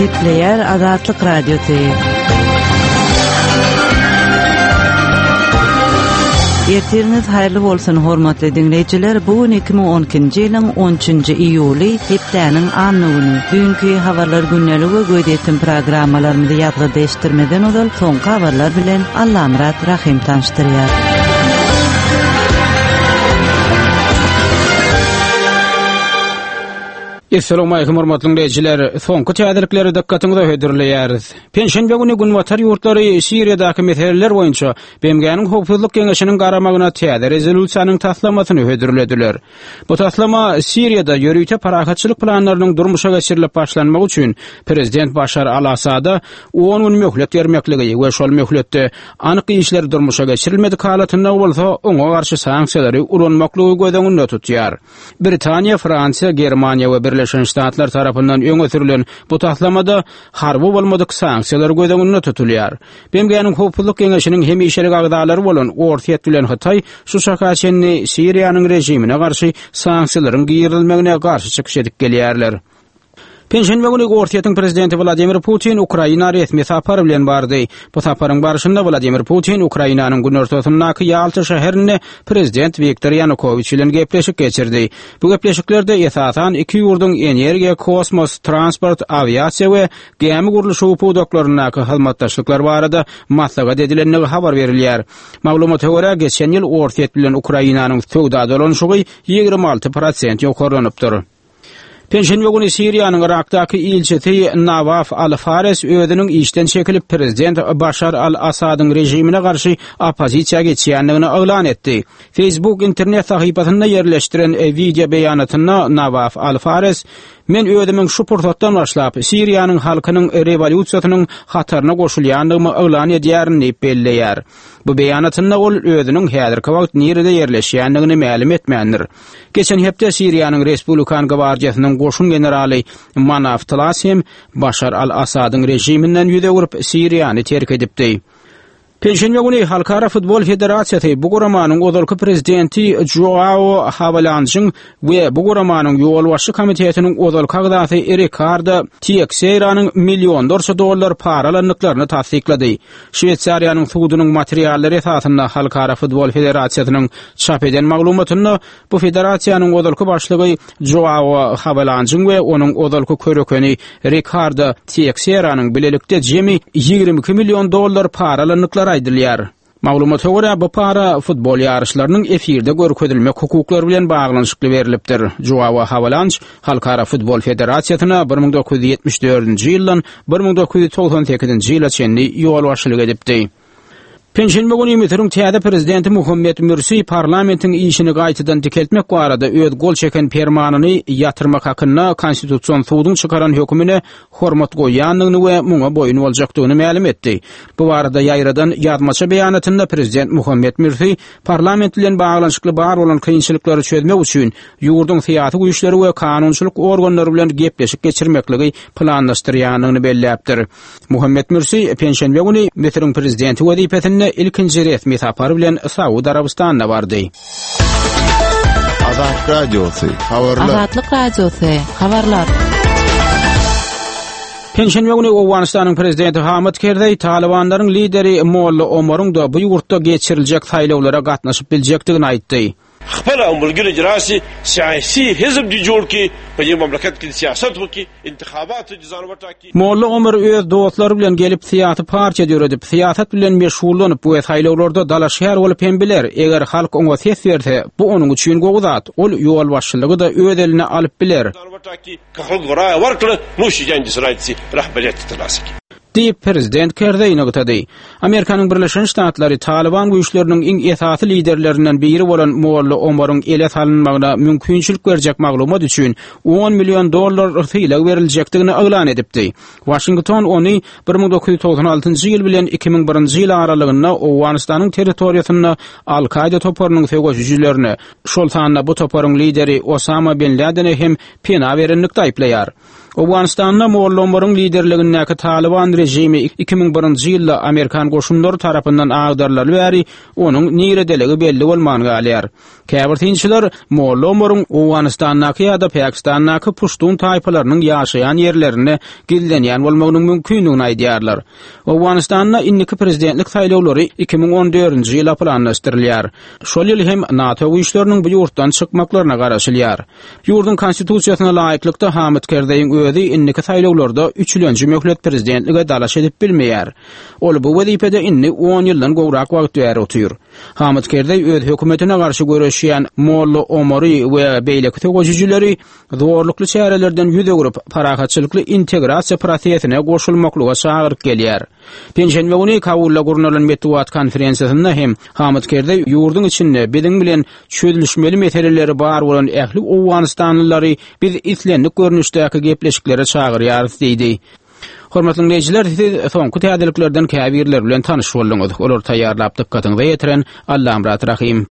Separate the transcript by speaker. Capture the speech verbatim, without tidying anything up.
Speaker 1: Gepleýär Azatlyk Radiosy. Ertiriňiz haýyrly bolsun hormatly diňleýjiler. Bu gün iki müň on ikinji ýylyň on üçünji iýuly, hepdäniň anna güni. Düýnki habarlar günlügi we gözýetim programmalarymyzy ýazgyda eşitdirmeden ozal soňky habarlar bilen Allamyrat Rahim tanyşdyrýar.
Speaker 2: Assalamu alaykum hormatly dinleýjiler. Soňky täzelikleri dikkatiňize hödürleýäris. Penşenbe güni Günbatar ýurtlary Siriýadaky meseleler boýunça B M G-niň Howpsuzlyk Geňeşiniň garamagyna täze rezolýusiýanyň taslamasyny hödürlediler. Bu taslama Siriýada ýörite parahatçylyk planlarynyň durmuşa geçirilip başlanmagy üçin Prezident Başar al-Asada on gün möhlet bermekligi we şol möhletde anyk işler durmuşa geçirilmedik halatynda bolsa oňa garşy sanksiýalary ulanmaklygy göz öňünde tutýar. Britaniýa, Fransiýa, Germaniýa we Birleşen Ştatlar tarapyndan öňe sürülen bu taslamada harby bolmadyk sanksiýalar göz öňünde tutulýar. B M G-niň Howpsuzlyk Geňeşiniň hemişelik agzalary bolan Orsýet bilen Hytaý şu şaka çenli Siriýanyň režimine garşy sanksiýalaryň girizilmegine garşy çykyş edip gelýärler. Penşenbe güni Orsýetiň prezidenti Wladimir Putin Ukraina resmi sapar bilen bardy. Bu saparyň barşynda Wladimir Putin Ukrainanyň günortasyndaky Ýalta şäherinde prezident Wiktor Ýanukowiç bilen gepleşik geçirdi. Bu gepleşiklerde esasan iki ýurduň energiýa, kosmos, transport, awiasiýa we gämi gurluşygy pudaklaryndaky hyzmatdaşlyklar barada maslahat edilendigi habar berilýär. Maglumata görä, geçen ýyl Orsýet bilen Ukrainanyň söwda dolanyşygy ýigrimi alty prosent ýokarlanypdyr. Penşenbe güni Siriýanyň Irakdaky ilçisi Nawaf Al-Fares özüniň işden çekilip prezident Başar al-Asadyň režimine garşy oppozisiýa geçýändigini yglan etdi. Facebook internet sahypasynda ýerleşdiren video beýanatynda Nawaf Al-Fares Men özümiň şu pursatdan başlap Siriýanyň halkynyň rewolýusiýasynyň hataryna goşulýandygymy yglan edýärin diýip belleýär. Bu beýanatynda ol özüniň häzirki wagt nirede ýerleşýändigini mälim etmändir. Geçen hepde Siriýanyň Respublikan gwardiýasynyň goşun generaly Manaf Tlas hem Başar al-Asadyň režiminden ýüz öwürip Siriýany terk edipdi. Penşenbe güni Halkara Futbol Federasiýasy bu guramanyň ozalky prezidenti Joao Havelanjyň we bu guramanyň ýolbaşçy komitetiniň ozalky agzasy Ricardo Teixeiranyň millionlarça dollar para alandyklaryny tassyklady. Şweýsariýanyň sudunyň materiallary esasynda Halkara Futbol Federasiýasynyň çap eden maglumatynda bu federasiýanyň ozalky başlygy Joao Havelanjyň we onuň ozalky körekeni Ricardo Teixeiranyň bilelikde jemi ýigrimi iki million dollar para alandyklary aýdylýar. Maglumata görä, bu para futbol ýaryşlarynyň efirde görkezilmek hukuklary bilen baglanyşykly berilipdir. Joao Havelanj Halkara Futbol Federasiýasyna bir müň dokuz ýüz ýetmiş dördünji ýyldan bir müň dokuz ýüz togsan sekizinji ýyla çenli ýolbaşçylyk edipdi. Penşenbe güni Müsüriň täze prezidenti Muhammed Mürsi parlamentiň işini gaýtadan dikeltmek barada öz gol çeken permanyny ýatyrmak hakynda konstitusion suduň çykaran hökümine hormat goýýandygyny we muňa boýun boljakdygyny mälim etdi. Bu barada ýaýradan ýazmaça beýanatynda prezident Muhammed Mürsi parlament bilen baglanyşykly bar bolan kynçylyklary çözmek üçin ýurduň syýasy güýçleri we kanunçylyk organlary bilen gepleşik geçirmekligi planlaşdyrýandygyny belläpdir. Muhammed Mürsi penşenbe güni Müsüriň prezidenti wezipesinde ilkinji resmi sapar bilen Saud Arabystanyna bardy.
Speaker 3: Azatlyk Radiosy, habarlar.
Speaker 1: Azatlyk Radiosy, habarlar.
Speaker 2: Penşenbe güni Owganystanyň prezidenti Hamid Kerzeý Talibanlaryň lideri Molla Omaryň da bu ýurtda geçiriljek saýlawlara gatnaşyp biljekdigini aýtdy.
Speaker 4: Xpela umulgir icrasi siyasi hizb di jor ki pe ye mamlakat ki siyasat bu ki intihabat cizan ki.
Speaker 2: Molla Omar öz dostlary bilen gelip syýasy partiýa döredip, syýasat bilen meşgullanyp we saýlawlarda dalaşgär bolup hem biler. Eger halk oňa ses berse, bu onuň üçin gowy zat. Ol ýolbaşçylygy da öz eline alyp biler. Diýip prezident Kerzeý nygtady. Amerikanyň Birleşen Ştatlary Taliban güýçleriniň iň esasy liderlerinden biri bolan Molla Omaryň ele salynmagyna mümkinçilik berjek maglumat üçin on million dollar sylag beriljekdigini yglan edipdi. Washington ony bir müň dokuz ýüz togsan altynjy ýyl bilen iki müň birinji ýyl aralygynda Owganystanyň territoriýasynda Al-Kaida toparynyň söweşijilerine, şol sanda bu toparyň lideri Osama bin Ladene hem pena berenlikde aýyplaýar. Owganystanda Molla Omaryň liderligindäki Taliban rejimi iki müň birinji ýylda Amerikan goşunlary tarapyndan agdarylaly bäri onuň niredeligi belli bolman galýar. Käbir synçylar Molla Omaryň Owganystandaky ýa-da Pakistandaky Puştun taýpalarynyň ýaşaýan ýerlerinde gizlenýän bolmagynyň mümkindigini aýdýarlar. Owganystanda indiki prezidentlik saýlawlary iki müň on dördünji ýyla planlaşdyrylýar. Şol ýyl hem NATO güýçleriniň bu ýurtdan çykmaklaryna garaşylýar. Ýurduň konstitusiýasyna laýyklykda Hamid Kerzeýiň özi indiki saýlawlarda üçülenji möhlet prezidentlige dalaş edip bilmeýär. Ol bu wezipede indi on ýyldan gowrak wagt bäri otyr. Hamid Kerzeý öz hökümetine garşy göreşýän Molla Omary we beýleki söweşijileri zorlukly çärelerden ýüz öwrüp, parahatçylykly integrasiýa prosesine goşulmaklyga çagyryp gelýär. Penşenbe güni Kabulda gurnalan metbugat konferensiýasynda hem Hamid Kerzeý ýurduň içinde biziň bilen çözülişmeli meseleleri bar bolan ähli Owganystanlylary biz islendik görnüşdäki gepleşiklere çagyrýarys diýdi. Hormatly dinleýjiler, siz soňky täzeliklerden käbirler bilen tanyş bolduňyz. Olar taýýarlap dykgatyňyza ýetiren Allamyrat Rahim.